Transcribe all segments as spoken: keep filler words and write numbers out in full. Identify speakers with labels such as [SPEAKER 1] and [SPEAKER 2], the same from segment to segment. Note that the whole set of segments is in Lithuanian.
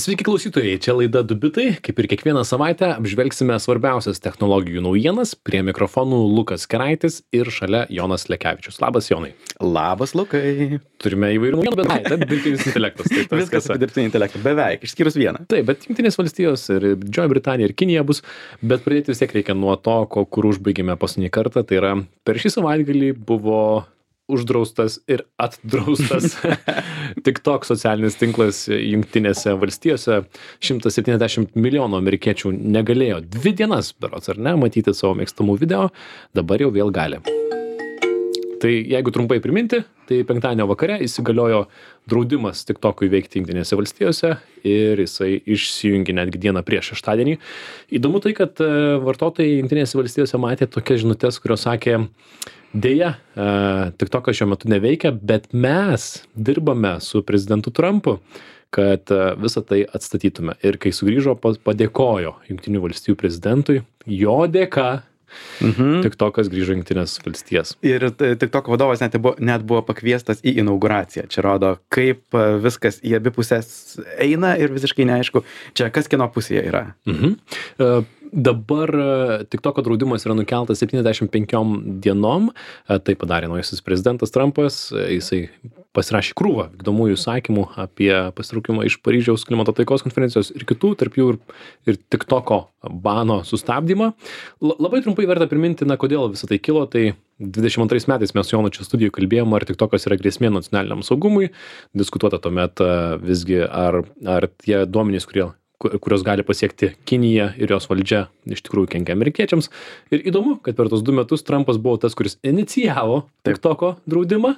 [SPEAKER 1] Sveiki klausytojai, čia laida du bitai, kaip ir kiekvieną savaitę apžvelgsime svarbiausias technologijų naujienas, prie mikrofonų Lukas Keraitis ir šalia Jonas Lekevičius. Labas, Jonai.
[SPEAKER 2] Labas, Lukai.
[SPEAKER 1] Turime įvairių naujienų, bet ai, tai dirbtinis intelektas. Tai tas,
[SPEAKER 2] Viskas apie dirbtinį intelektą, beveik, išskyrus vieną.
[SPEAKER 1] Taip, bet Jungtinės valstijos ir Didžioji Britanija ir Kinija bus, bet pradėti vis tiek reikia nuo to, ko, kur užbaigėme paskutinį kartą, tai yra per šį savaitgalį buvo uždraustas ir atdraustas TikTok socialinis tinklas Jungtinėse valstijose. šimtas septyniasdešimt milijonų amerikiečių negalėjo dvi dienas, berods ar ne, matyti savo mėgstamų video, dabar jau vėl gali. Tai jeigu trumpai priminti, tai penktadienio vakare įsigaliojo draudimas TikTokui veikti Jungtinėse valstijose ir jisai išsijungė netgi dieną prieš šeštadienį. Įdomu tai, kad vartotojai Jungtinėse valstijose matė tokias žinutes, kurios sakė: Deja, TikTokas šiuo metu neveikia, bet mes dirbame su prezidentu Trumpu, kad visą tai atstatytume. Ir kai sugrįžo, padėkojo Jungtinių valstijų prezidentui, jo dėka mhm. TikTokas grįžo Jungtinės valstijas.
[SPEAKER 2] Ir TikTok vadovas net buvo, net buvo pakviestas į inauguraciją. Čia rodo, kaip viskas į abi pusės eina ir visiškai neaišku, čia kas kieno pusėje yra.
[SPEAKER 1] Mhm. Uh, Dabar TikToko draudimas yra nukeltas septyniasdešimt penkiom dienom. Tai padarė naujasis prezidentas Trumpas. Jisai pasirašė krūvą vykdomųjų įsakymų apie pasitraukimą iš Paryžiaus klimato taikos konferencijos ir kitų, tarp jų ir, ir TikToko bano sustabdymą. L- labai trumpai verta priminti, na, kodėl visą tai kilo. Tai dvidešimt antrais metais mes su Jonu čia studijoje kalbėjom, ar TikTokas yra grėsmė nacionaliniam saugumui. Diskutuota tuomet visgi, ar, ar tie duomenys, kurie kurios gali pasiekti Kinija ir jos valdžia, iš tikrųjų kenkia amerikiečiams. Ir įdomu, kad per tos du metus Trumpas buvo tas, kuris inicijavo TikToko draudimą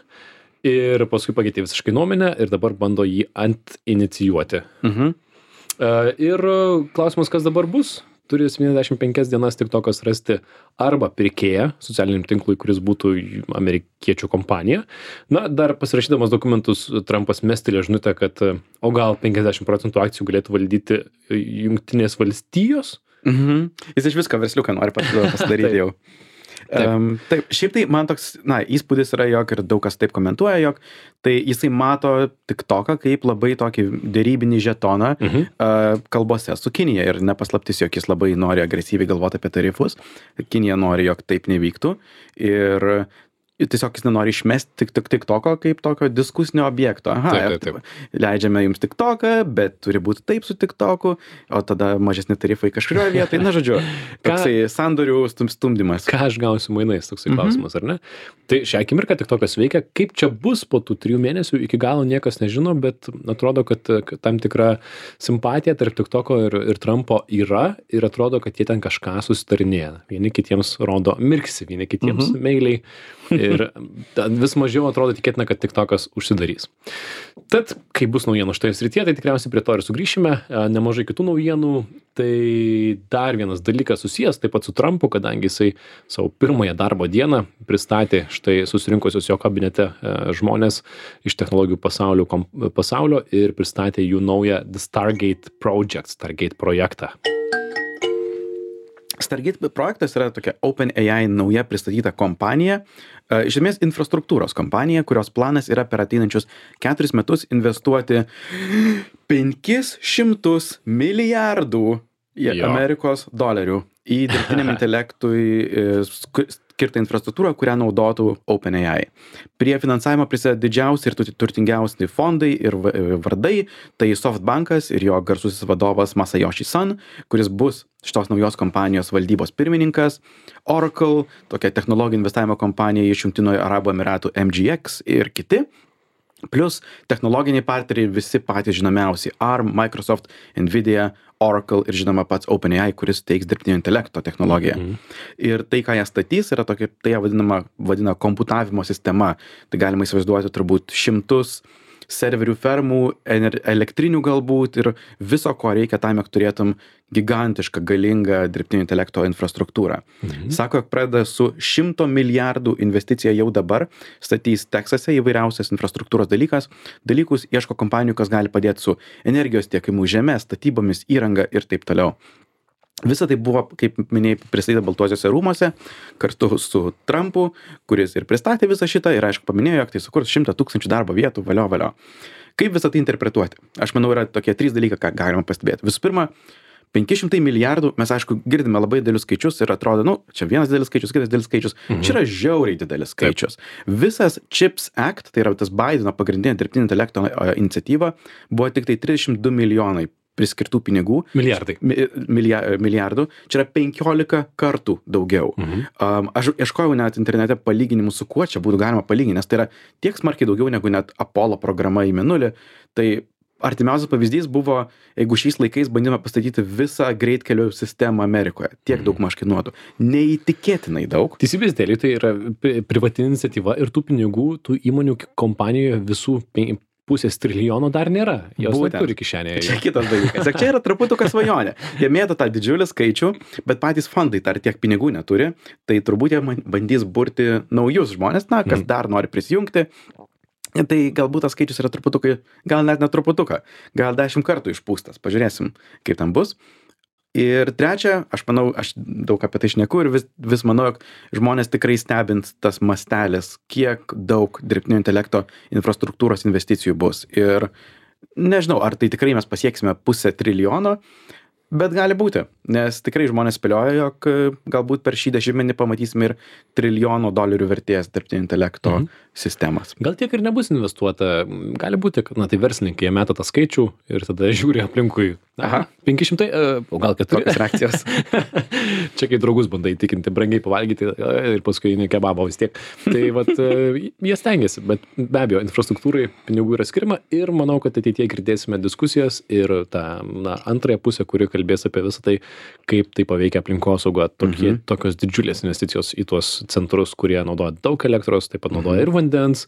[SPEAKER 1] ir paskui pakeitė visiškai nuomonę ir dabar bando jį antinicijuoti. Mhm. Ir klausimas, kas dabar bus? Turi septyniasdešimt penkias dienas TikTokas rasti arba pirkėją socialiniam tinklui, kuris būtų amerikiečių kompanija. Na, dar pasirašydamas dokumentus, Trumpas mestelė žinutę, kad o gal penkiasdešimt procentų akcijų galėtų valdyti Jungtinės valstijos.
[SPEAKER 2] Mhm. Jis iš visko versliuką nori pasidaryti jau. Taip. Um, taip, šiaip tai man toks, na, įspūdis yra, jog ir daug kas taip komentuoja, jog tai jisai mato TikToką kaip labai tokį dėrybinį žetoną mhm. uh, kalbose su Kinija ir nepaslaptis, jog jis labai nori agresyviai galvoti apie tarifus. Kinija nori, jog taip nevyktų ir tiesiog jis nenori išmesti tik, tik TikToko kaip tokio diskusinio objekto. Aha,
[SPEAKER 1] taip, taip, taip.
[SPEAKER 2] Leidžiame jums TikToką, bet turi būti taip su TikToku, o tada mažesni tarifai kažkurioje vietoje. Na, žodžiu, toksai sandorių stum, stumdymas.
[SPEAKER 1] Ką aš gausiu mainais, toksai mhm. klausimas, ar ne? Tai šią akimirką TikTokas veikia. Kaip čia bus po tų trijų mėnesių, iki galo niekas nežino, bet atrodo, kad, kad tam tikra simpatija tarp TikToko ir, ir Trumpo yra ir atrodo, kad jie ten kažką susitarinėja. Vieni kitiems rodo mirksi, vieni kitiems mhm. meiliai. Ir vis mažiau atrodo tikėtina, kad TikTokas užsidarys. Tad, kai bus naujienų šitoje srityje, tai tikriausiai prie to ir sugrįšime. Nemažai kitų naujienų. Tai dar vienas dalykas susijęs taip pat su Trumpu, kadangi jisai savo pirmąją darbo dieną pristatė štai susirinkusios jo kabinete žmonės iš technologijų pasaulio, pasaulio ir pristatė jų naują The Stargate Project, Stargate projektą.
[SPEAKER 2] Stargate projektas yra tokia OpenAI nauja pristatyta kompanija, iš esmės infrastruktūros kompanija, kurios planas yra per ateinančius keturis metus investuoti penkis šimtus milijardų Amerikos dolerių į dirbtiniam intelektui skirtą infrastruktūrą, kurią naudotų OpenAI. Prie finansavimo prisideda didžiausi ir turtingiausi fondai ir vardai, tai SoftBankas ir jo garsusis vadovas Masayoshi Son, kuris bus šitos naujos kompanijos valdybos pirmininkas, Oracle, tokia technologijų investavimo kompanija iš Jungtinių Arabų Emiratų M G X ir kiti. Plus technologiniai partneriai visi patys žinomiausi Arm, Microsoft, Nvidia, Oracle ir žinoma pats OpenAI, kuris teiks dirbtinio intelekto technologiją. Mhm. Ir tai, ką jie statys, yra tokia, tai jie vadinama, vadina komputavimo sistema. Tai galima įsivaizduoti turbūt šimtus serverių fermų, elektrinių galbūt ir viso, ko reikia tam, jog turėtum gigantišką, galingą dirbtinio intelekto infrastruktūrą. Mhm. Sako, jog pradeda su šimto milijardų investicija jau dabar, statys Teksase įvairiausias infrastruktūros dalykas, dalykus, ieško kompanijų, kas gali padėti su energijos tiekimu žeme, statybomis, įranga ir taip toliau. Visa tai buvo, kaip minėjai, pristatyta Baltuosiuose rūmuose kartu su Trumpu, kuris ir pristatė visą šitą ir aišku paminėjo, jog tai sukurs šimtą tūkstančių darbo vietų, valio, valio. Kaip visą tai interpretuoti? Aš manau, yra tokie trys dalykai, ką galima pastebėti. Visų pirma, penki šimtai milijardų, mes aišku girdime labai didelius skaičius ir atrodo, nu, čia vienas didelis skaičius, kitas didelis skaičius, mhm. čia yra žiauriai didelis skaičius. Taip. Visas CHIPS Act, tai yra tas Bideno pagrindinė dirbtinio intelekto iniciatyva, buvo tik tai trisdešimt du milijonai priskirtų pinigų.
[SPEAKER 1] Milijardai.
[SPEAKER 2] Milija, milijardų. Čia yra penkiolika kartų daugiau. Mhm. Um, aš ieškojau net internete palyginimų, su kuo čia būtų galima palyginti, nes tai yra tiek smarkiai daugiau negu net Apollo programa į Mėnulį. Tai artimiausias pavyzdys buvo, jeigu šiais laikais bandėme pastatyti visą greitkelių sistemą Amerikoje. Tiek
[SPEAKER 1] Mhm.
[SPEAKER 2] daug maž kainuotų. Neįtikėtinai daug.
[SPEAKER 1] Teisybės dėlį tai yra privati iniciatyva ir tų pinigų, tų įmonių kompanijoje visų pen- pusės trilijono dar nėra. Jos
[SPEAKER 2] Būtent.
[SPEAKER 1] neturi kišenėje.
[SPEAKER 2] Čia kitas dalykas. Ir čia yra truputuką svajonė. Jie mėto tą didžiulį skaičių, bet patys fondai dar tiek pinigų neturi, tai turbūt jie man- bandys burti naujus žmonės, na, kas
[SPEAKER 1] Mhm.
[SPEAKER 2] dar nori prisijungti. Tai galbūt tas skaičius yra truputukai, gal net ne truputuką, gal dešimt kartų išpūstas. Pažiūrėsim, kaip ten bus. Ir trečia, aš manau, aš daug apie tai šneku ir vis, vis manau, jog žmonės tikrai stebint tas mastelis, kiek daug dirbtinio intelekto infrastruktūros investicijų bus. Ir nežinau, ar tai tikrai mes pasieksime pusę trilijono, bet gali būti, nes tikrai žmonės spėlioja, jog galbūt per šį dešimtmetį pamatysime ir trilijono dolerių vertės dirbtinio intelekto
[SPEAKER 1] Mhm.
[SPEAKER 2] sistemas.
[SPEAKER 1] Gal tiek ir nebus investuota. Gali būti, kad, na, tai verslininkai, jie meta tą skaičių ir tada žiūri aplinkui.
[SPEAKER 2] Aha.
[SPEAKER 1] penki šimtai, e, o gal keturi.
[SPEAKER 2] Tokios reakcijos.
[SPEAKER 1] Čia kai draugus bandai įtikinti, brangiai pavalgyti e, ir paskui eini kebabą vis tiek. Tai vat, e, jie stengiasi, bet be abejo, infrastruktūrai pinigų yra skirima ir manau, kad ateityje girdėsime diskusijas ir tą, na, antrąją pusę, kuri kalbės apie visą tai, kaip tai paveikia aplinkosaugą. Tokie,
[SPEAKER 2] Mhm.
[SPEAKER 1] tokios didžiulės investicijos į tuos centrus, kurie naudoja daug elektros, taip pat naudoja ir vandens,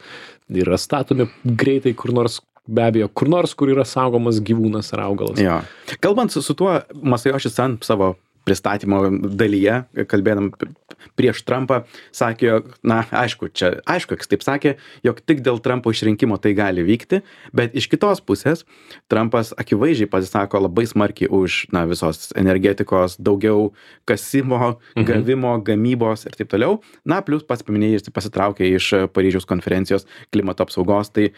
[SPEAKER 1] yra statomi greitai kur nors, be abejo, kur nors, kur yra saugomas gyvūnas ar augalas.
[SPEAKER 2] Jo. Kalbant su, su tuo, Masayoshi Son savo pristatymo dalyje, kalbėdam p- prieš Trumpą, sakė, jog, na, aišku, čia, aišku, jis taip sakė, jog tik dėl Trumpo išrinkimo tai gali vykti, bet iš kitos pusės Trumpas akivaizdžiai pasisako labai smarkiai už, na, visos energetikos, daugiau kasimo,
[SPEAKER 1] Mhm.
[SPEAKER 2] gavimo, gamybos ir taip toliau. Na, plus pats paminėjai, jis pasitraukė iš Paryžiaus konferencijos klimato apsaugos, tai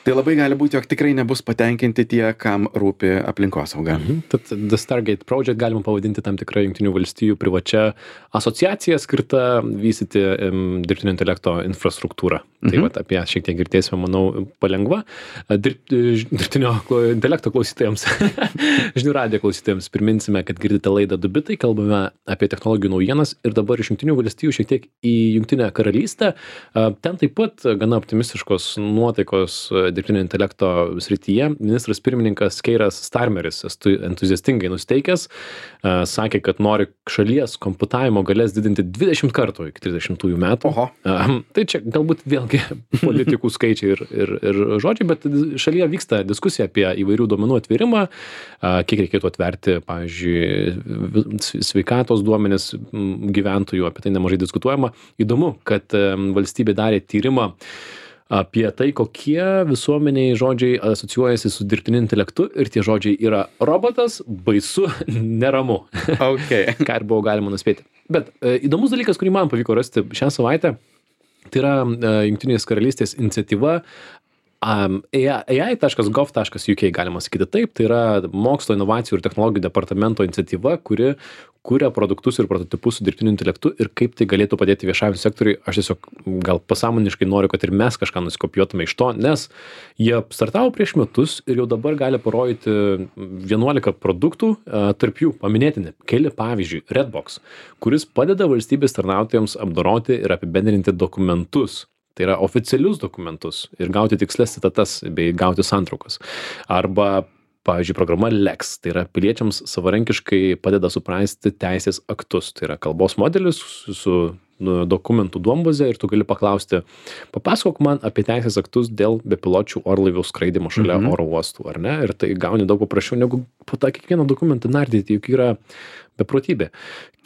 [SPEAKER 2] Tai labai gali būti, jog tikrai nebus patenkinti tie, kam rūpi aplinkosauga.
[SPEAKER 1] Mhm. Tad The Stargate Project galima pavadinti tam tikrą Jungtinių valstijų privačia asociacija skirta vystyti em, dirbtinio intelekto infrastruktūrą. Tai
[SPEAKER 2] Mhm.
[SPEAKER 1] vat, apie ją šiek tiek girdėsime, manau, palengva. Dirb, dirbtinio klo- intelekto klausytojams, žinių radijo klausytojams priminsime, kad girdite laidą Du bitai, kalbame apie technologijų naujienas ir dabar iš Jungtinių valstijų šiek tiek į Jungtinę karalystę. A, Ten taip pat gana optimistiškos nuotaikos dirbtinio intelekto srityje. Ministras pirmininkas Keiras Starmeris estu- entuziastingai nusteikęs, a, sakė, kad nori šalies komputavimo galės didinti dvidešimt kartų iki trisdešimtųjų metų.
[SPEAKER 2] Oho.
[SPEAKER 1] A, Tai čia galbūt vėlgi politikų skaičiai ir, ir, ir žodžiai, bet šalyje vyksta diskusija apie įvairių duomenų atvėrimą, a, kiek reikėtų atverti, pavyzdžiui, vi- sveikatos duomenis m, gyventojų, apie tai nemažai diskutuojama. Įdomu, kad em, valstybė darė tyrimą apie tai, kokie visuomeniai žodžiai asocijuojasi su dirbtiniu intelektu ir tie žodžiai yra robotas, baisu, neramu.
[SPEAKER 2] Okay.
[SPEAKER 1] Ką ir buvo galima nuspėti. Bet e, įdomus dalykas, kurį man pavyko rasti šią savaitę, tai yra e, Jungtinės karalystės iniciatyva um, A I taškas gov taškas U K galima sakyti taip, tai yra mokslo, inovacijų ir technologijų departamento iniciatyva, kuri kuria produktus ir prototipus su dirbtiniu intelektu ir kaip tai galėtų padėti viešajam sektoriui. Aš tiesiog gal pasąmoniškai noriu, kad ir mes kažką nusikopijuotume iš to, nes jie startavo prieš metus ir jau dabar gali parodyti vienuolika produktų, a, tarp jų paminėtini keli pavyzdžiui Redbox, kuris padeda valstybės tarnautojams apdoroti ir apibendrinti dokumentus. Tai yra oficialius dokumentus ir gauti tikslias citatas bei gauti santraukas. Arba, pavyzdžiui, programa Lex, tai yra piliečiams savarankiškai padeda suprasti teisės aktus. Tai yra kalbos modelis su, su nu, dokumentų duombaze ir tu gali paklausti, papasakok man apie teisės aktus dėl bepiločių orlaivių skraidimo šalia
[SPEAKER 2] Mhm.
[SPEAKER 1] oro uostų, ar ne? Ir tai gauni daug paprasčiau, negu po tą kiekvieną dokumentą nardyti, juk yra beprotybė.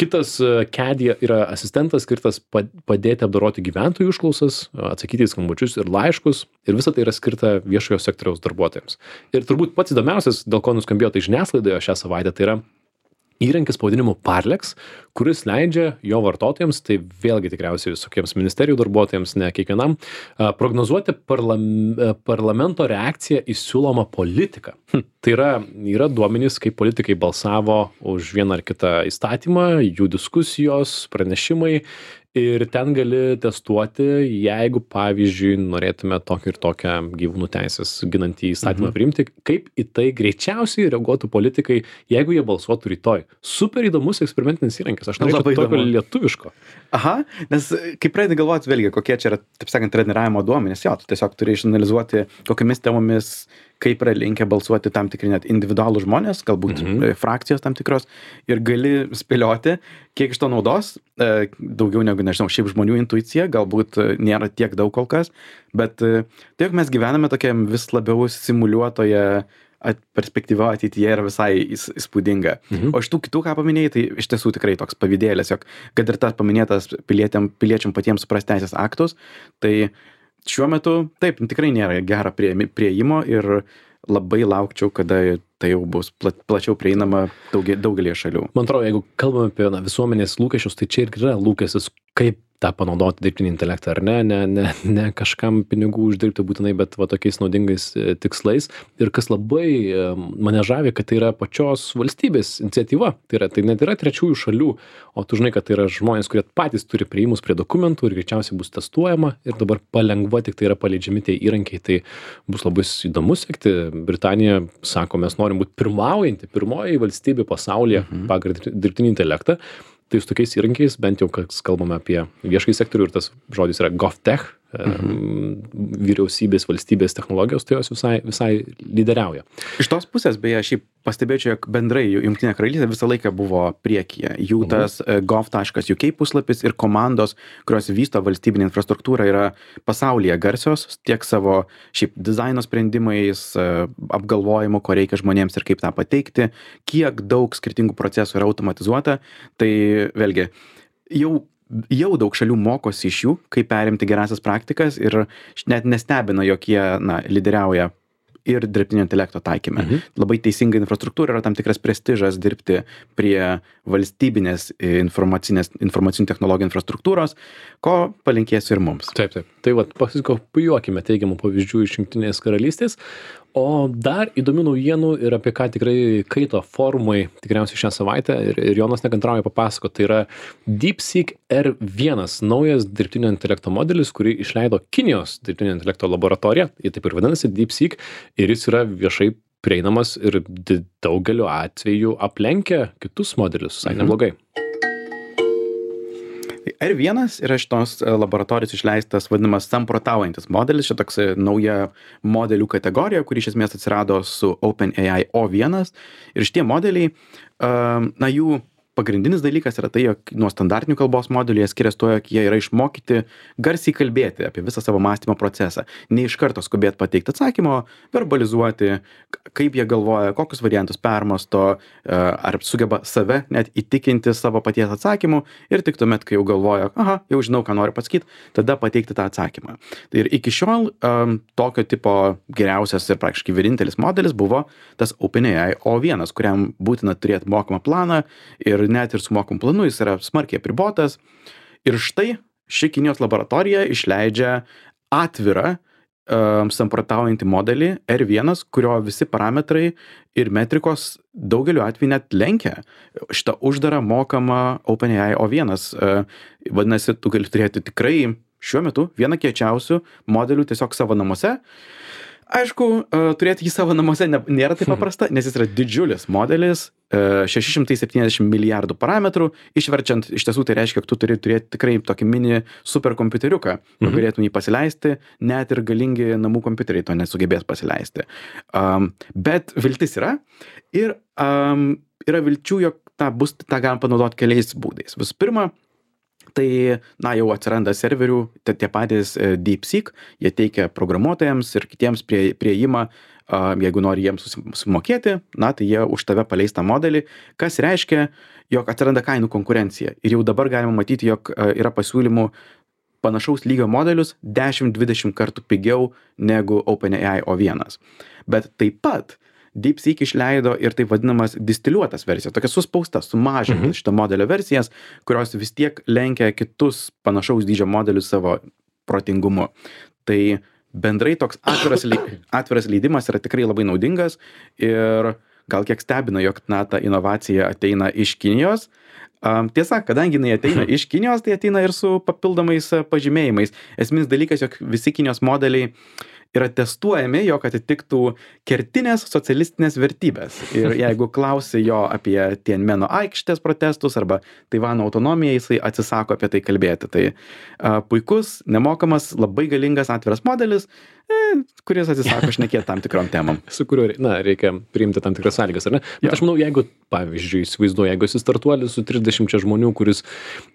[SPEAKER 1] Kitas e, Kedija yra asistentas skirtas pa- padėti apdoroti gyventojų užklausas, atsakyti į skambučius ir laiškus ir visa tai yra skirta viešojo sektoriaus darbuotojams. Ir turbūt pats įdomiausias, dėl ko nuskambėjo tai žiniasklaidoje šią savaitę, tai yra įrankis pavadinimu Parlex, kuris leidžia jo vartotojams, tai vėlgi tikriausiai visokiems ministerijų darbuotojams, ne kiekvienam, a, prognozuoti parlam, a, parlamento reakciją į siūlomą politiką. Hm. Tai yra, yra duomenys, kaip politikai balsavo už vieną ar kitą įstatymą, jų diskusijos, pranešimai. Ir ten gali testuoti, jeigu, pavyzdžiui, norėtume tokį ir tokią gyvūnų teisės ginantį įstatymą mhm. priimti, kaip į tai greičiausiai reaguotų politikai, jeigu jie balsuotų rytoj. Super įdomus eksperimentinis įrankis. Aš norėčiau tokio lietuviško.
[SPEAKER 2] Aha, nes kai pradedi galvoti, vėlgi, kokie čia yra, taip sakant, treniravimo duomenys, jo, tu tiesiog turi išanalizuoti, kokiamis temomis, kaip yra linkę balsuoti tam tikri net individualų žmonės, galbūt mhm. frakcijos tam tikros, ir gali spėlioti, kiek iš to naudos, daugiau negu, nežinau, šiaip žmonių intuicija, galbūt nėra tiek daug kol kas, bet tai, jog mes gyvename tokiam vis labiau simuliuotoje at, perspektyva ateityje yra visai įspūdinga. Mhm. O iš tų kitų, ką paminėjai, tai iš tiesų tikrai toks pavydėlis, jog kad ir tas paminėtas piliečiam, piliečiam patiems suprasti teisės aktus, tai šiuo metu taip, tikrai nėra gero prieimo ir labai laukčiau, kada tai jau bus pla, plačiau prieinama daugia, daugelį šalių.
[SPEAKER 1] Man atrodo, jeigu kalbame apie na, visuomenės lūkesčius, tai čia ir yra lūkestis, kaip tą panaudoti dirbtinį intelektą, ar ne, ne, ne, ne kažkam pinigų uždirbti būtinai, bet va tokiais naudingais e, tikslais. Ir kas labai e, mane žavi, kad tai yra pačios valstybės iniciatyva, tai, yra, tai net yra trečiųjų šalių, o tu žinai, kad tai yra žmonės, kurie patys turi prieimus prie dokumentų ir greičiausiai bus testuojama ir dabar palengva tik tai yra paleidžiami tie įrankiai, tai bus labai įdomu sekti. Britanija sako, mes norim būti pirmaujanti, pirmoji valstybė pasaulyje mhm. pagal dirbtinį intelektą. Tai su tokiais įrankiais, bent jau, kas kalbame apie viešąjį sektorių ir tas žodis yra GovTech, mhm. vyriausybės, valstybės technologijos, tai jos visai, visai lyderiauja.
[SPEAKER 2] Iš tos pusės, beje, šiaip pastebėčiau, jog bendrai Jungtinė karalystė visą laiką buvo priekyje. Jų tas mhm. gov taškas uk puslapis ir komandos, kurios vysto valstybinę infrastruktūrą, yra pasaulyje garsios, tiek savo šiaip dizaino sprendimais, apgalvojimu, ko reikia žmonėms ir kaip tą pateikti, kiek daug skirtingų procesų yra automatizuota, tai vėlgi, jau jau daug šalių mokosi iš jų, kaip perimti gerasias praktikas ir net nestebina, jog jie na, lyderiauja ir dirbtinio intelekto taikyme. Mhm. Labai teisinga infrastruktūra, yra tam tikras prestižas dirbti prie valstybinės informacinės, informacinių technologijų infrastruktūros, ko palinkėsiu ir mums.
[SPEAKER 1] Taip, taip. Tai vat, pasikopijuokime teigiamų pavyzdžių iš Jungtinės karalystės. O dar įdomių naujienų ir apie ką tikrai kaito forumai tikriausiai šią savaitę ir, ir Jonas nekantrauja papasakoti, tai yra DeepSeek R vienas, naujas dirbtinio intelekto modelis, kurį išleido Kinijos dirbtinio intelekto laboratorija, jie taip ir vadinasi DeepSeek, ir jis yra viešai prieinamas ir daugeliu atveju aplenkia kitus modelius, visai neblogai.
[SPEAKER 2] R vienas yra šitos laboratorijos išleistas vadinamas samprotaujantis modelis, čia toks nauja modelių kategorija, kuri iš esmės atsirado su OpenAI O vienas ir šitie modeliai, na jų pagrindinis dalykas yra tai, jog nuo standartinių kalbos modelių jie skiriasi tuo, jog jie yra išmokyti garsiai kalbėti apie visą savo mąstymo procesą. Ne iš karto skubėti pateikti atsakymo, verbalizuoti, kaip jie galvoja, kokius variantus permasto, ar sugeba save net įtikinti savo paties atsakymu ir tik tuomet, kai jau galvoja, aha, jau žinau, ką noriu pasakyti, tada pateikti tą atsakymą. Tai ir iki šiol um, tokio tipo geriausias ir praktiškai vienintelis modelis buvo tas OpenAI O vienas, kuriam būtina turėti mokamą planą ir net ir su mokamu planu jis yra smarkiai apribotas. Ir štai ši Kinijos laboratorija išleidžia atvirą um, samprotaujantį modelį R vienas, kurio visi parametrai ir metrikos daugeliu atveju net lenkia šitą uždarą mokamą OpenAI O vienas. Uh, vadinasi, tu gali turėti tikrai šiuo metu vieną kiečiausių modelių tiesiog savo namuose. Aišku, turėti jį savo namuose nėra taip paprasta, nes jis yra didžiulis modelis, šeši šimtai septyniasdešimt milijardų parametrų, išverčiant, iš tiesų tai reiškia, kad tu turi turėti tikrai tokį mini superkompiuteriuką, mhm. galėtum jį pasileisti, net ir galingi namų kompiuteriai to nesugebės pasileisti. Um, bet viltis yra ir um, yra vilčių, jog tą, bus, tą galim panaudoti keliais būdais. Visų pirma, tai, na, jau atsiranda serverių, tai tie patys DeepSeek, jie teikia programuotojams ir kitiems prie, prieimą, jeigu nori jiems susimokėti, na, tai jie už tave paleis tą modelį, kas reiškia, jog atsiranda kainų konkurencija. Ir jau dabar galima matyti, jog yra pasiūlymų panašaus lygio modelius dešimt dvidešimt kartų pigiau negu OpenAI O vienas. Bet taip pat DeepSeek išleido ir taip vadinamas distiliuotas versijas, tokia suspausta, sumažinta
[SPEAKER 1] Mhm.
[SPEAKER 2] šito modelio versijas, kurios vis tiek lenkia kitus panašaus dydžio modelius savo protingumu. Tai bendrai toks atviras, lei- atviras leidimas yra tikrai labai naudingas ir gal kiek stebina, jog na, ta inovacija ateina iš Kinijos. Um, tiesa, kadangi jinai ateina iš Kinijos, tai ateina ir su papildomais uh, pažymėjimais. Esminis dalykas, jog visi Kinijos modeliai yra testuojami, jog atitiktų kertinės socialistinės vertybės. Ir jeigu klausi jo apie Tianmeno aikštės protestus arba Taivano autonomiją, jisai atsisako apie tai kalbėti. Tai a, puikus, nemokamas, labai galingas atviras modelis, e, kuris atsisako šnekėti tam tikrom temom.
[SPEAKER 1] Su kuriuo, na, reikia priimti tam tikras sąlygas, ar ne? Bet
[SPEAKER 2] Jo.
[SPEAKER 1] aš manau, jeigu, pavyzdžiui, įsivaizduoju, jeigu esi startuolis su trisdešimčia žmonių, kuris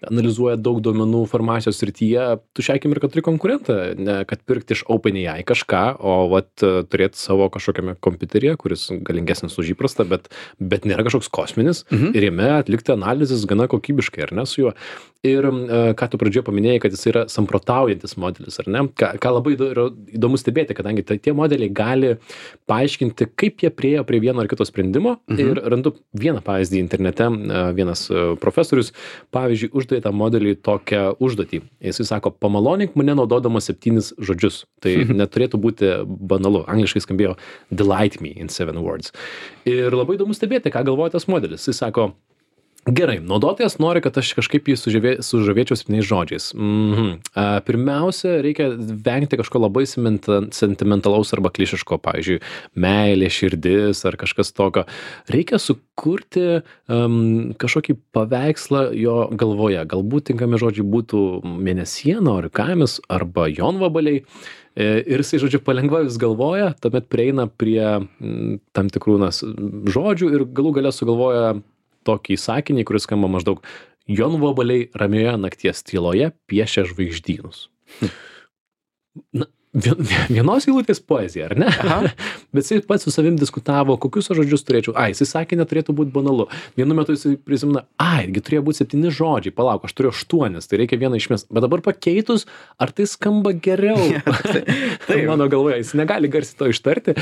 [SPEAKER 1] analizuoja daug duomenų farmacijos srityje, tu šią akimirką turi konkurentą, ne kad pirkti iš OpenAI kažką, o vat turėti savo kažkokiame kompiuteryje, kuris galingesnis už įprastą, bet, bet nėra kažkoks kosminis
[SPEAKER 2] Mhm.
[SPEAKER 1] ir jame atlikti analizės gana kokybiškai, ar ne, su juo. Ir e, ką tu pradžioje paminėjai, kad jis yra samprotaujantis modelis, ar ne? Ką, ką labai įdo- yra įdomu stebėti, kadangi tai, tie modeliai gali paaiškinti, kaip jie priejo prie vieno ar kito sprendimo.
[SPEAKER 2] Mhm.
[SPEAKER 1] Ir randu vieną pavyzdį internete, e, vienas e, profesorius, pavyzdžiui, uždavė tą modelį tokią užduotį. Jisai sako, pamalonink mane naudodamas septynis žodžius. Tai neturėtų būti banalu. Angliškai skambėjo delight me in seven words. Ir labai įdomu stebėti, ką galvoja tas modelis. Jis sako, gerai, naudotojas nori, kad aš kažkaip jį sužavė, sužavėčiau septyniais žodžiais. Mhm. A, Pirmiausia, reikia vengti kažko labai simenta- sentimentalaus arba klišiško, pavyzdžiui, meilė, širdis ar kažkas tokio. Reikia sukurti um, kažkokį paveikslą jo galvoje. Galbūt tinkami žodžiai būtų mėnesiena, orikamis arba jonvabaliai. E, Ir jisai, žodžiu, palengva vis galvoja, tuomet prieina prie mm, tam tikrų nas, žodžių ir galų gale sugalvoja tokį sakinį, kuris skamba maždaug jonvabaliai ramioje nakties tyloje piešia žvaigždynus. Na, vien- vienos eilutės poezija, ar ne?
[SPEAKER 2] Aha.
[SPEAKER 1] Bet jisai pats su savim diskutavo, kokius aš žodžius turėčiau. Ai, jisai sakė, neturėtų būti banalu. Vienu metu jisai prisimena, ai, gi turėjo būti septyni žodžiai, palauk, aš turiu aštuonis, tai reikia vieną išmest. Bet dabar pakeitus, ar tai skamba geriau?
[SPEAKER 2] Taip.
[SPEAKER 1] Mano galvoje, jis negali garsiai to ištarti,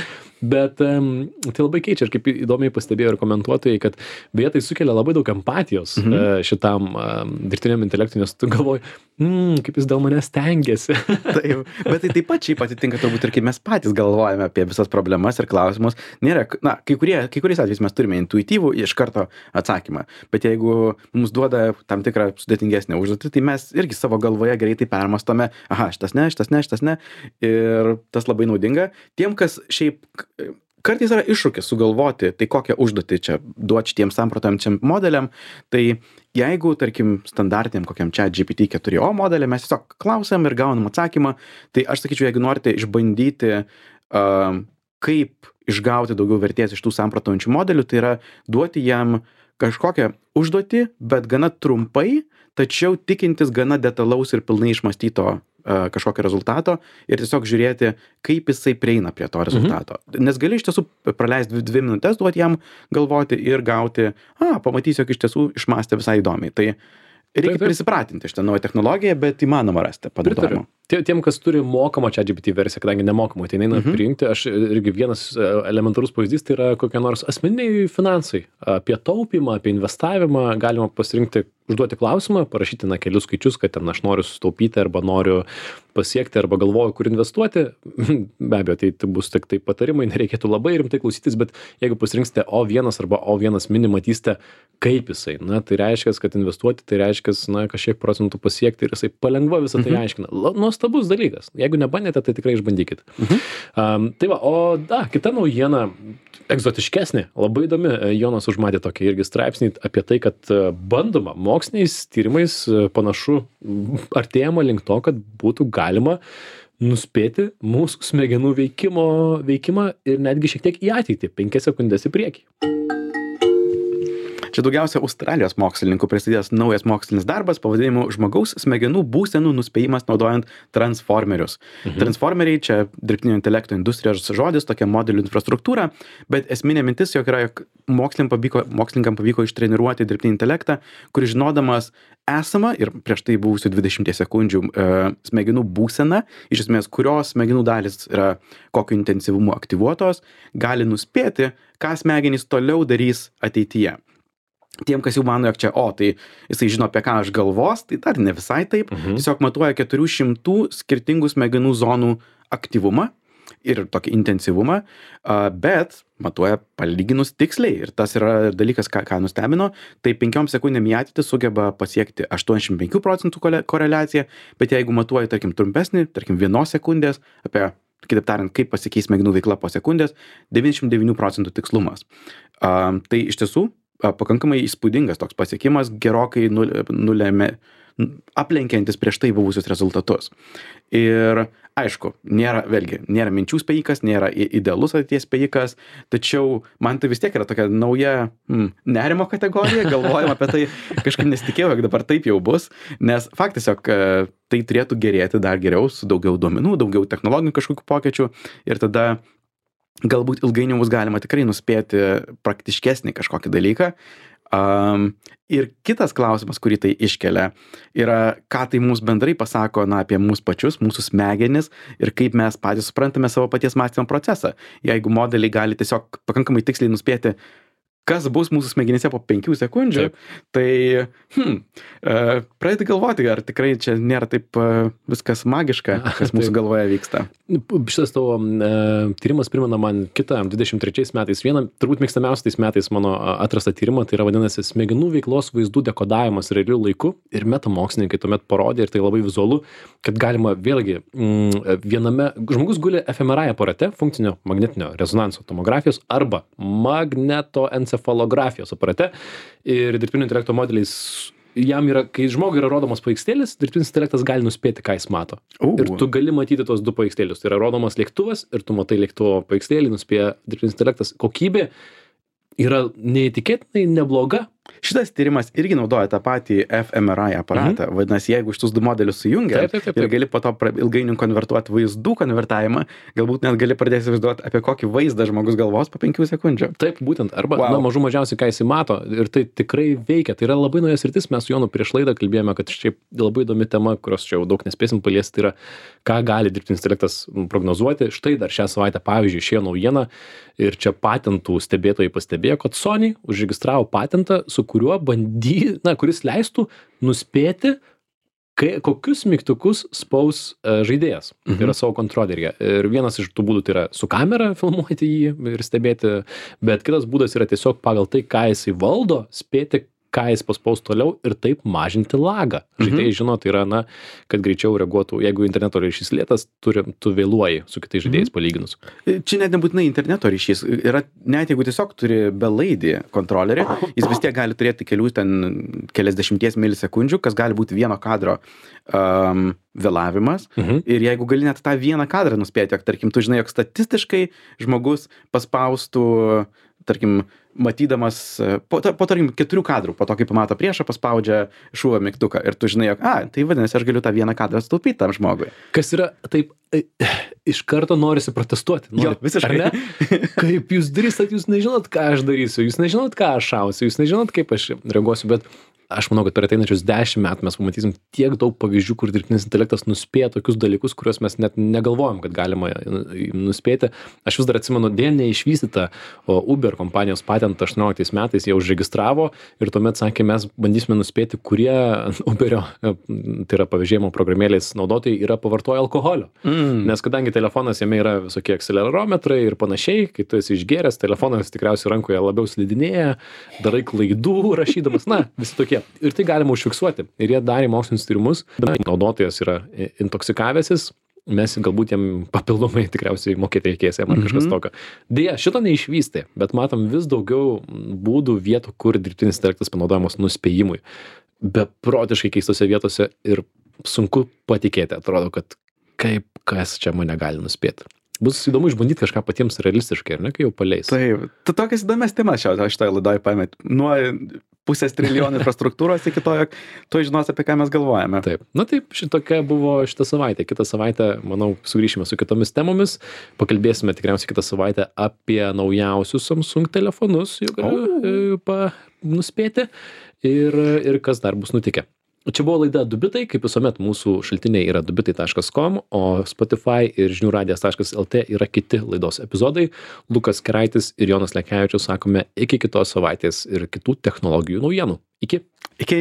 [SPEAKER 1] bet um, tai labai keičia ir kaip įdomiai pastebėjo ir komentuotojai, kad beje tai sukelia labai daug empatijos
[SPEAKER 2] Mhm.
[SPEAKER 1] uh, šitam um, dirbtiniam intelektui, nes tu galvoji, mm, kaip jis dėl manęs stengiasi.
[SPEAKER 2] Taip, bet tai taip pat šiaip atitinka turbūt ir kaip mes patys galvojame apie visas problemas ir klausimus. Nėra, na, kai, kurie, kai kuriais atvejais mes turime intuityvų iš karto atsakymą, bet jeigu mums duoda tam tikrą sudėtingesnę užduotį, tai mes irgi savo galvoje greitai permastome, aha, šitas ne, šitas ne, šitas ne, ir tas labai naudinga. Tiem, kas šiaip kartais yra iššūkis sugalvoti, tai kokią užduotį čia duoti šitiems samprotaujančiam modeliam, tai jeigu, tarkim, standartiniam kokiam čia G P T keturi o modelį, mes tiesiog klausiam ir gaunam atsakymą, tai aš sakyčiau, jeigu norite išbandyti, uh, kaip išgauti daugiau vertės iš tų samprotaujančių modelių, tai yra duoti jam kažkokią užduotį, bet gana trumpai, tačiau tikintis gana detalaus ir pilnai išmastyto uh, kažkokio rezultato ir tiesiog žiūrėti, kaip jisai prieina prie to rezultato. Mhm. Nes gali iš tiesų praleisti dvi, dvi minutės, duoti jam galvoti ir gauti, a, pamatysi, jog iš tiesų išmastė visai įdomiai. Tai reikia
[SPEAKER 1] Taip, taip.
[SPEAKER 2] prisipratinti šitą naują technologiją, bet įmanoma rasti panaudojimą.
[SPEAKER 1] Tie, tiem, kas turi mokamą ChatGPT versiją, kadangi nemokamą, tai neina
[SPEAKER 2] Mhm.
[SPEAKER 1] priimti, aš irgi vienas e, elementarus pavyzdys, tai yra kokie nors asmeniniai finansai. Apie taupimą, apie investavimą galima pasirinkti, užduoti klausimą, parašyti na kelius skaičius, kad ten aš noriu sutaupyti arba noriu pasiekti arba galvoju, kur investuoti. Be abejo, tai, tai bus tik tai patarimai, nereikėtų labai rimtai klausytis, bet jeigu pasirinksite O vienas arba O vienas mini, matysite, kaip jisai. Na, tai reiškia, kad investuoti, tai reiškia, na, kažkiek procentų pasiekti ir jisai palengva visą tai
[SPEAKER 2] Mhm.
[SPEAKER 1] aiškina. La- Nuostabus dalykas. Jeigu nebandėte, tai tikrai išbandykit.
[SPEAKER 2] Mhm.
[SPEAKER 1] Um, tai va, o da, kita naujiena, egzotiškesnė, labai įdomi. Jonas užmatė tokį irgi straipsnį apie tai, kad e, bandoma moksliniais tyrimais e, panašu m, artėjama link to, kad būtų galima nuspėti mūsų smegenų veikimo, veikimą ir netgi šiek tiek į ateitį, penkias sekundės į priekį.
[SPEAKER 2] Čia daugiausia Australijos mokslininkų pristatęs naujas mokslinis darbas pavadinimu žmogaus smegenų būsenų nuspėjimas naudojant transformerius. Mhm. Transformeriai čia dirbtinio intelekto industrijos žodis, tokia modelių infrastruktūra, bet esminė mintis, jog yra, jog mokslininkam pavyko, mokslininkam pavyko ištreniruoti dirbtinį intelektą, kuris žinodamas esamą ir prieš tai buvusių dvidešimties sekundžių e, smegenų būseną, iš esmės, kurios smegenų dalis yra kokio intensyvumo aktyvuotos, gali nuspėti, ką smegenys toliau darys ateityje. Tiem, kas jau mano, jog čia, o, tai jisai žino, apie ką aš galvos, tai dar ne visai taip. Mhm. Tiesiog matuoja keturių šimtų skirtingų smegenų zonų aktyvumą ir tokį intensyvumą, bet matuoja palyginus tiksliai. Ir tas yra dalykas, ką, ką nustebino, tai penkiom sekundėm į ateitį sugeba pasiekti aštuoniasdešimt penkių procentų koreliaciją, bet jeigu matuoja, tarkim, trumpesnį, tarkim, vienos sekundės, apie, kitaip tariant, kaip pasikeis smegenų veikla po sekundės, devyniasdešimt devynių procentų tikslumas. Uh, tai iš tiesų uh, pakankamai įspūdingas toks pasiekimas, gerokai nulėmė, aplenkiantis prieš tai buvusius rezultatus. Ir aišku, nėra, vėlgi, nėra minčių spėjikas, nėra idealus ateities spėjikas, tačiau man tai vis tiek yra tokia nauja mm, nerimo kategorija, galvojam apie tai, kažkaip nesitikėjau, jog dabar taip jau bus, nes faktas, jog tai turėtų gerėti dar geriau, su daugiau duomenų, daugiau technologinių kažkokių pokyčių ir tada galbūt ilgainiui bus galima tikrai nuspėti praktiškesnį kažkokį dalyką. Um, ir kitas klausimas, kurį tai iškelia, yra, ką tai mums bendrai pasako, na, apie mūsų pačius, mūsų smegenis ir kaip mes patys suprantame savo paties mąstymo procesą. Jeigu modeliai gali tiesiog pakankamai tiksliai nuspėti, kas bus mūsų smegenyse po penkių sekundžių, Taip. tai hmm, uh, pradėti galvoti, ar tikrai čia nėra taip uh, viskas magiška, kas mūsų galvoje vyksta.
[SPEAKER 1] Šitas tavo uh, tyrimas primena man kitą dvidešimt trečiais metais. Vieną, turbūt mėgstamiausiais metais mano atrastą tyrimą, tai yra vadinasi smegenų veiklos vaizdų dekodavimas realiu laiku ir metamokslininkai tuomet parodė, ir tai labai vizualu, kad galima vėlgi mm, viename, žmogus guli ef em er ai aparate, funkcinio magnetinio rezonanso tomografijos arba magneto encefalografijos aparate ir dirbtinio intelekto modeliais jam yra, kai žmogui yra rodomas paveikslėlis, dirbtinis intelektas gali nuspėti, ką jis mato. Uh. Ir tu gali matyti tos du paveikslėlius. Tai yra rodomas lėktuvas ir tu matai lėktuvo paveikslėlį, nuspėja dirbtinis intelektas. Kokybė yra neįtikėtinai nebloga.
[SPEAKER 2] Šitas tyrimas irgi naudoja tą patį ef em er ai aparatą. Mhm. Vadinasi, jeigu šitus du modelius sujungia taip, taip, taip, taip. ir gali po to ilgainiui konvertuoti vaizdų konvertavimą, galbūt net gali pradėti įsivaizduoti, apie kokį vaizdą žmogus galvos po penkių sekundžių.
[SPEAKER 1] Taip, būtent. Arba wow. na, mažų mažiausiai, ką jisai mato. Ir tai tikrai veikia. Tai yra labai nauja sritis. Mes su Jonu prieš laidą kalbėjome, kad šiaip labai įdomi tema, kurios čia jau daug nespėsim paliesti, tai yra, ką gali dirbtinis intelektas prognozuoti. Štai dar šią savaitę, pavyzdžiui, išėjo naujiena ir čia patentų stebėtojai pastebėjo, kad Sony užregistravo patentą, su kuriuo bandy, na, kuris leistų nuspėti, kai, kokius mygtukus spaus uh, žaidėjas. Mhm. Tai yra savo kontroleryje. Ir vienas iš tų būdų tai yra su kamera filmuoti jį ir stebėti, bet kitas būdas yra tiesiog pagal tai, ką jisai valdo, spėti, ką jis paspaus toliau ir taip mažinti lagą. Žaidėjai mhm. žino, tai yra, na, kad greičiau reaguotų, jeigu interneto ryšys lėtas, turi, tu vėluoji su kitais žaidėjais mhm. palyginus.
[SPEAKER 2] Čia net nebūtinai interneto ryšys. Yra, net jeigu tiesiog turi belaidį kontrolerį, jis vis tiek gali turėti kelių ten keliasdešimties milisekundžių, kas gali būti vieno kadro um, vėlavimas. Mhm. Ir jeigu gali net tą vieną kadrą nuspėti, jog, tarkim, tu žinai, jog statistiškai žmogus paspaustų, tarkim, matydamas po, po tarkim, keturių kadrų, po to, kai pamato priešą, paspaudžia šūvio mygtuką ir tu žinai, jog, a, tai vadinasi, aš galiu tą vieną kadrą sutaupyti tam žmogui.
[SPEAKER 1] Kas yra, taip, iš karto norisi protestuoti. Norit,
[SPEAKER 2] jo, visiškai.
[SPEAKER 1] Kaip jūs drįstat, jūs nežinot, ką aš darysiu, jūs nežinot, ką aš šausiu, jūs nežinot, kaip aš reaguosiu, bet aš manau, kad per ateinančius dešimt metų mes pamatysim tiek daug pavyzdžių, kur dirbtinis intelektas nuspėja tokius dalykus, kuriuos mes net negalvojom, kad galima nuspėti. Aš vis dar atsimenu, dėl neišvystytą Uber kompanijos patentą aštuonioliktais metais jie užregistravo ir tuomet sakė, mes bandysime nuspėti, kurie Uberio, tai yra pavėžėjimo programėlės naudotojai, yra pavartoję alkoholio. Mm. Nes kadangi telefonas jame yra visokie akcelerometrai ir panašiai, kai tu esi išgėręs, telefonas tikriausiai rankoje labiau slidinėja, darai klaidų rašydamas, na, visi tokie. Ir tai galima užfiksuoti. Ir jie darė mokslinius tyrimus. Naudotojas yra intoksikavęsis, mes galbūt jam papildomai tikriausiai mokėti reikės jam ar kažkas tokio. Deja, šito neišvystė, bet matom vis daugiau būdų vietų, kur dirbtinis intelektas panaudojamas nuspėjimui. Beprotiškai keistose vietose ir sunku patikėti. Atrodo, kad kaip kas čia mane gali nuspėti. Bus įdomu išbandyti kažką patiems realistiškai, ar ne, kai jau paleis.
[SPEAKER 2] Taip, tu tokias įdomias temas šio, šitoje laidoje paėmėt. Nuo pusės trilijonų infrastruktūros iki to, jog tu žinos, apie ką mes galvojame.
[SPEAKER 1] Taip, na taip, šitokia buvo šitą savaitę. Kitą savaitę, manau, sugrįšime su kitomis temomis. Pakalbėsime tikriausiai kitą savaitę apie naujausius Samsung telefonus, jau galiu pa, nuspėti, ir, ir kas dar bus nutikę. Čia buvo laida du bitai, kaip visuomet mūsų šaltiniai yra du bitai taškas com, o Spotify ir žinių radijas taškas lt yra kiti laidos epizodai. Lukas Keraitis ir Jonas Lekevičius sakome iki kitos savaitės ir kitų technologijų naujienų. Iki.
[SPEAKER 2] Iki.